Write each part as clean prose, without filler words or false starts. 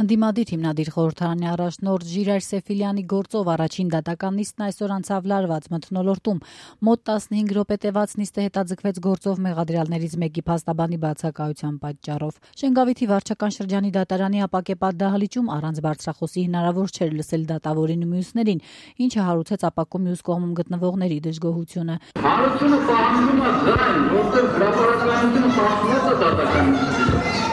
Ընդդիմադիր հիմնադիր խորհրդարանի առաջնորդ Ժիրայր Սեֆիլյանի գործով առաջին դատական նիստն այսօր անցավ լարված մթնոլորտում։ Մոտ 15 րոպե տևած նիստը հետաձգվեց գործով մեղադրյալներից մեկի փաստաբանի բացակայության պատճառով։ Շենգավիթի վարչական շրջանի դատարանի ապակեպատ դահլիճում առանց բարձրախոսի հնարավոր չէր լսել դատավորին ու մյուսներին, ինչը հարուցեց ապակու մյուս կողմում գտնվողների դժգոհությունը։ Հարցումը պահանջում է ձայն, որտեղ հրապարակայնությունը պահանջում է դատական։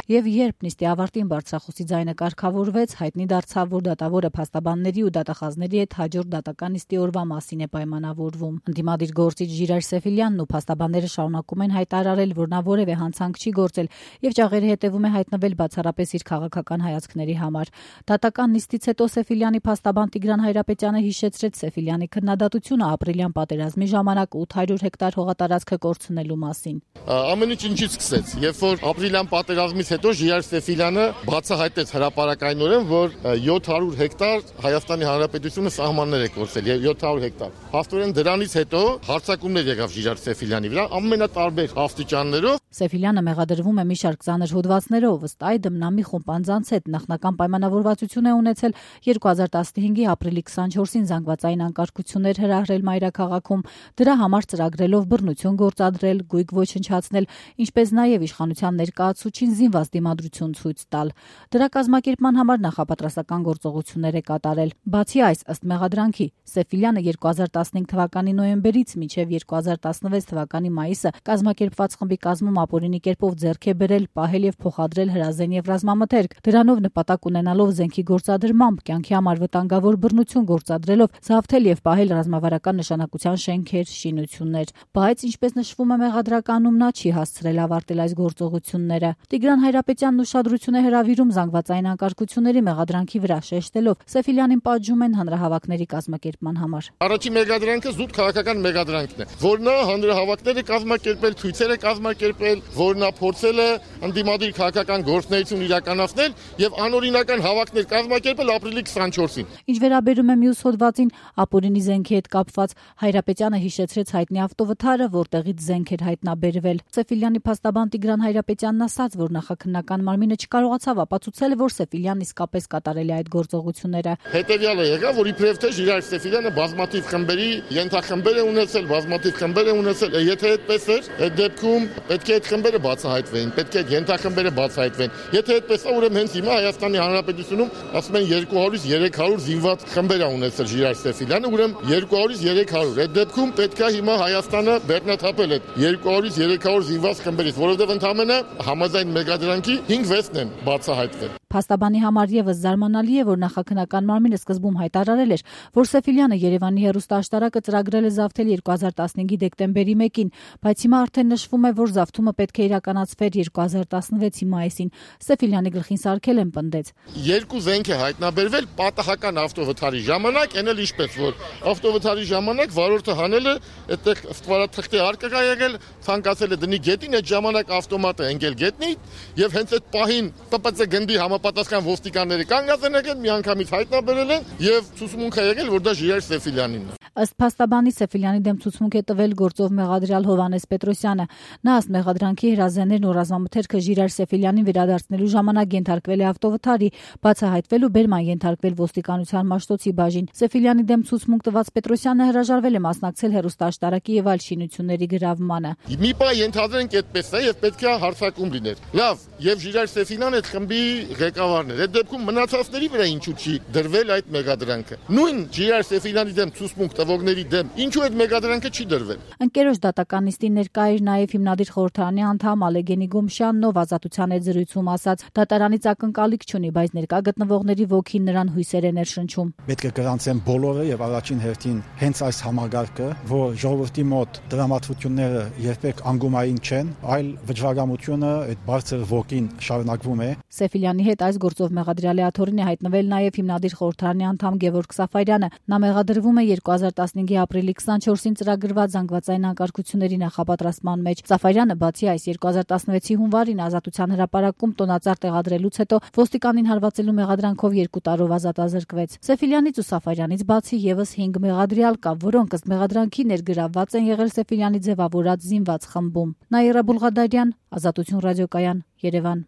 Եվ երբ նիստի ավարտին բարձրախոսի ձայնը կարգավորվեց, հայտնի դարձավ, որ դատավորը փաստաբանների ու դատախազների հետ հաջորդ դատական նիստի օրվա մասին է պայմանավորվում։ Ընդդիմադիր գործիչ Ժիրայր Սեֆիլյանն ու փաստաբանները շարունակում են հայտարարել, որ նա որևէ հանցանք չի գործել եւ ճաղերի հետևում է հայտնվել բացառապես իր քաղաքական հայացքների համար։ Դատական նիստից հետո Սեֆիլյանի փաստաբան Տիգրան Հայրապետյանը հիշեցրեց Սեֆիլյանի քննադատությունը ապրիլյան պատերազմի ժամանակ 800 հեկտար հողատարածքը կորցնելու մասին։ Ամեն ինչ ինչից սկսեց, երբ որ ապրիլյան պատերազմից հետո Ժիրայր Սեֆիլյանը բացահայտեց հրապարակայնորեն, որ 700 հեկտար Հայաստանի Հանրապետությունը սահմաններ է կորցրել, 700 հեկտար։ Փաստորեն դրանից հետո հարձակումներ եղավ Ժիրայր Սեֆիլյանի վրա ամենատարբեր աստիճաններով։ Սեֆիլյանը մեղադրվում է մի շարք ծանր հոդվածներով, ըստ այդմ նա մի խումբ անձանց հետ նախնական պայմանավորվածություն է ունեցել 2015-ի ապրիլի 24-ին զանգվածային անկարգություններ հրահրել մայրաքաղաքում, դրա համար ծրագրելով բռնություն գործադրել, գույք ոչնչացնել, ինչպես նաև իշխանության ներկայացուցչին զինված դիմադրություն ցույց տալ։ Դրա կազմակերպման համար նախապատրաստական գործողություններ է կատարել։ Բացի այս, ըստ մեղադրանքի, Սեֆիլյանը 2015 թվականի նոյեմբերից մինչև 2016 թվականի մայիսը կազմակերպված խմբի կազմում ապօրինի կերպով ձեռք է բերել, պահել եւ փոխադրել հրազեն եւ ռազմամթերք, դրանով նպատակ ունենալով զենքի գործադրմամբ, կյանքի համար վտանգավոր բռնություն գործադրելով, զավթել եւ պահել ռազմավարական նշանակության շենքեր, շինություններ։ Բայց ինչպես նշվում է մեղադրականում, նա չի հասցրել ավարտել այս գործողությունները։ Տիգրան Հայրապետյանն ուշադրություն է հրավիրում զանգվածային անկարգությունների մեղադրանքի վրա, շեշտելով Սեֆիլյանին պատժում են հանրահավաքների կազմակերպման համար։ Առաջին մեղադրանքը զուտ քաղաքական մեղադրանքն է, որ նա հանրահավաքներ է կազմակերպել, ցույցեր է կազմակերպել, որ նա փորձել է ընդդիմադիր քաղաքական գործունեություն իրականացնել եւ անօրինական հավաքներ կազմակերպել ապրիլի 24-ին։ Ինչ վերաբերում է մյուս հոդվածին, ապօրինի զենքի հետ կապված, Հայրապետյանը հիշեցրեց հայտնի ավտովթարը, որտեղից զենք էր հայտնաբերվել։ Սեֆիլյանի փաստաբան Տիգրան Հայրապետյանն ասաց, որ նախաքննական մարմինը չկարողացավ ապացուցել, որ Սեֆիլյանն իսկապես կատարել է այդ գործողությունները։ Հետևյալը եղավ, որ իբրև թե Ժիրայր Սեֆիլյանը բազմաթիվ խմբերի ենթախմբեր է ունեցել, բազմաթիվ խմբեր է ունեցել, եթե այդպես էր, այդ դեպքում պետք է այդ խմբերը բացահայտվեին, պետք է այդ ենթախմբերը բացահայտվեն։ Եթե այդպես է, ուրեմն հենց հիմա Հայաստանի Հանրապետությունում ասում են 200-300 զինված խմբեր է ունեցել Ժիրայր Սեֆիլյանը, ուրեմն 200-300։ Այդ դեպքում պետք է հիմա Հայաստանը բեռնաթափել այդ 200-300 զինված խմբերից, որովհետև ընդամենը համաձայն մեղադրանքի 5-6-ն են բացահայտվել։ Փաստաբանի համար եւս զարմանալի է, որ նախաքննական մարմինը սկզբում հայտարարել էր, որ Սեֆիլյանը Երևանի հեռուստաաշտարակը ծրագրել է զավթել 2015-ի դեկտեմբերի 1-ին, բայց հիմա արդեն նշվում է, որ զավթումը պետք է իրականացվեր 2016-ի մայիսին։ Սեֆիլյանի գլխին սարքել են պնդեց։ Երկու զենք է հայտնաբերվել պատահական ավտովթարի ժամանակ, այն էլ ինչպես որ ավտովթարի ժամանակ վարորդը հանել է այդտեղ ստվարաթղթի արկղ է եղել, ցանկացել է դնի գետին, այդ ժամանակ ավտոմատը ընկել գետնի եւ հենց այդ պահին ՏՊՑ գնդի համապատասխան ոստիկանները կանգնած են եղել, միանգամից հայտնաբերել են եւ ցուցմունք է եղել, որ դա Ժիրայր Սեֆիլյանինն է։ Ըստ փաստաբանի Սեֆիլյանի դեմ ցուցմունք է տվել գործով մեղադրյալ Հովհաննես Պետրոսյանը։ Նա ըստ մեղադրանքի հրազեններն ու ռազմամթերքը Ժիրայր Սեֆիլյանին վերադարձնելու ժամանակ ենթարկվել է ավտովթարի, բացահայտվել ու բերման ենթարկվել ոստիկանության Մաշտոցի բաժին։ Սեֆիլյանի դեմ ցուցմունք տված Պետրոսյանը հրաժարվել է մասնակցել հեռուստաաշտարակի եւ այլ շինությունների գրավմանը։ Մի բան ենթադրենք այդպես է եւ պետք է հարցակում լիներ։ Լավ, եւ Ժիրայր Սեֆիլյանը այդ խմբի ղեկավարն էր։ Այդ դեպքում մնացածների վրա ինչու չի դրվել այդ մեղադրանքը։ Նույն Ժիրայր Սեֆիլյանի դեմ ցուցմունք տվողների դեմ ինչու այդ մեղադրանքը չի դրվել։ Ընկերոջ դատական նիստին ներկա էր նաև հիմնադիր խորհրդարանի անդամ Ալեգենի Գոմշյանն, ով ազատության հետ զրույցում ասաց. դատարանից ակնկալիք չունի, բայց ներկա գտնվողների ոգին նրան հույսեր է ներշնչում։ Պետք է գրանցեն բոլորը եւ առաջին հերթին հենց այս համագարկը, որ ժողովրդի մոտ դրամատուրգությունները երբեք անգումային չեն, այլ վճռագամությունը այդ բարձր ոգին շարունակվում է։ Սեֆիլյանի հետ այս գործով մեղադրյալի աթոռին է հայտնվել նաև հիմնադիր խորհրդարանի անդամ Գևորգ Սաֆարյանը։ Նա մեղադրվում է 2015-ի ապրիլի 24-ին ծրագրված զանգվածային անկարգությունների նախապատրաստման մեջ։ Սաֆարյանը բացի այս 2016-ի հունվարին ազատության հրապարակում տոնածառ տեղադրելուց հետո ոստիկանին հարվածելու մեղադրանքով 2 տարով ազատազրկվեց։ Սեֆիլյանից ու Սաֆարյանից բացի եւս 5 մեղադրյալ կա, որոնք ըստ մեղադրանքի ներգրավված են եղել Սեֆիլյանի ձևավորած զինված խմբում։ Նաիրա Բուլղադարյան, Ազատություն ռադիոկայան, Երևան։